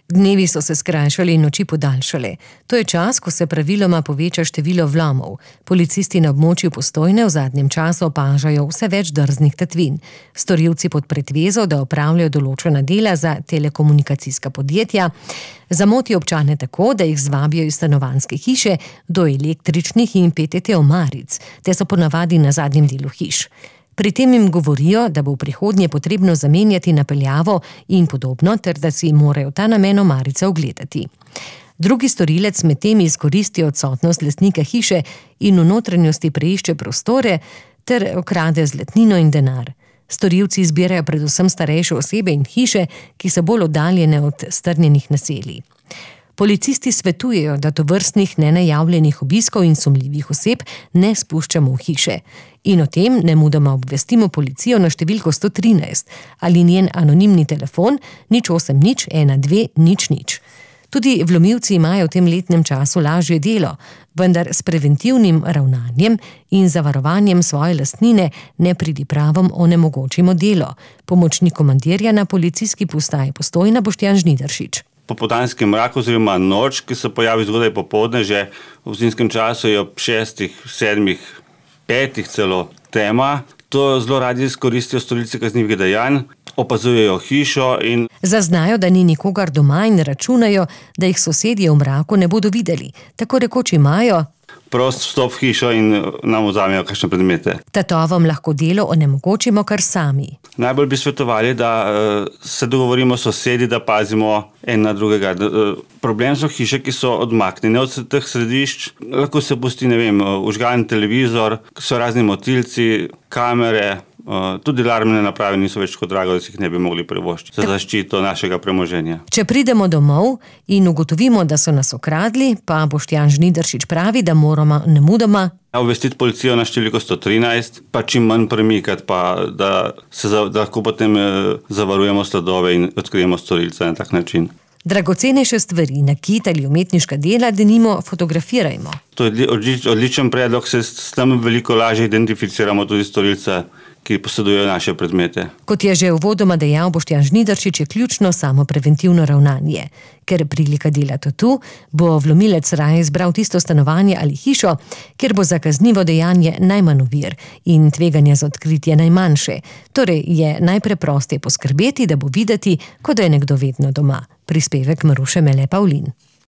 Dnevi so se skrajšali in noči podaljšale. To je čas, ko se praviloma poveča število vlomov. Policisti na območju Postojne v zadnjem času opažajo vse več drznih tatvin. Storilci pod pretvezo, da opravljajo določena dela za telekomunikacijska podjetja, zamotijo občane tako, da jih zvabijo iz stanovanjske hiše do električnih in PTT omaric, te so ponavadi na zadnjem delu hiš. Pri tem jim govorijo, da bo v prihodnje potrebno zamenjati napeljavo in podobno, ter da si morajo ta namen omarice ogledati. Drugi storilec medtem izkoristi odsotnost lastnika hiše in v notranjosti preišče prostore ter okrade zlatnino in denar. Storilci zbirajo predvsem starejše osebe in hiše, ki so bolj oddaljene od strnjenih naselij. Policisti svetujejo, da tovrstnih nenajavljenih obiskov in sumljivih oseb ne spuščamo v hiše. In o tem nemudoma obvestimo policijo na številko 113 ali njen anonimni telefon 080 12 00. Tudi vlomilci imajo v tem letnem času lažje delo, vendar s preventivnim ravnanjem in zavarovanjem svoje lastnine nepridipravom onemogočimo delo. Pomočnik komandirja na policijski postaji Postojna Boštjan Žnidaršič. Popoldanski mrak oziroma noč, ki se pojavi zgodaj popoldne, že v zimskem času je ob 6, 7, 5 celo tema. To zelo radi izkoristijo storilci kaznivih dejanj, opazujejo hišo in zaznajo, da ni nikogar doma in računajo, da jih sosedje v mraku ne bodo videli. Tako rekoč imajo prost vstop v hišo in nam vzamejo kakšne predmete. Tatovom lahko delo onemogočimo kar sami. Najbolj bi svetovali, da se dogovorimo s sosedi, da pazimo en na drugega. Problem so hiše, ki so odmaknjene od teh središč. Lahko se pusti, vžgan televizor, so razni motilci, kamere, tudi alarmne naprave niso več tako drago, da si jih ne bi mogli privoščiti za zaščito našega premoženja. Če pridemo domov in ugotovimo, da so nas okradli, pa Boštjan Žnidaršič pravi, da moramo nemudoma obvestiti policijo na številko 113, pa čim manj premikati, pa da lahko potem zavarujemo sledove in odkrijemo storilca na tak način. Dragocenejše stvari, nakit ali umetniška dela, denimo fotografirajmo. To je odličen predlog, se s tem veliko lažje identificiramo tudi storilca, ki posedujejo naše predmete. Kot je že uvodoma dejal Boštjan Žnidaršič, je ključno samo preventivno ravnanje. Ker prilika dela tu, bo vlomilec raje izbral tisto stanovanje ali hišo, kjer bo za kaznivo dejanje najmanj ovir in tveganje za odkritje najmanjše. Torej je najpreprosteje poskrbeti, da bo videti, kot da je nekdo vedno doma. Prispevek Maruše Mele Pavlin.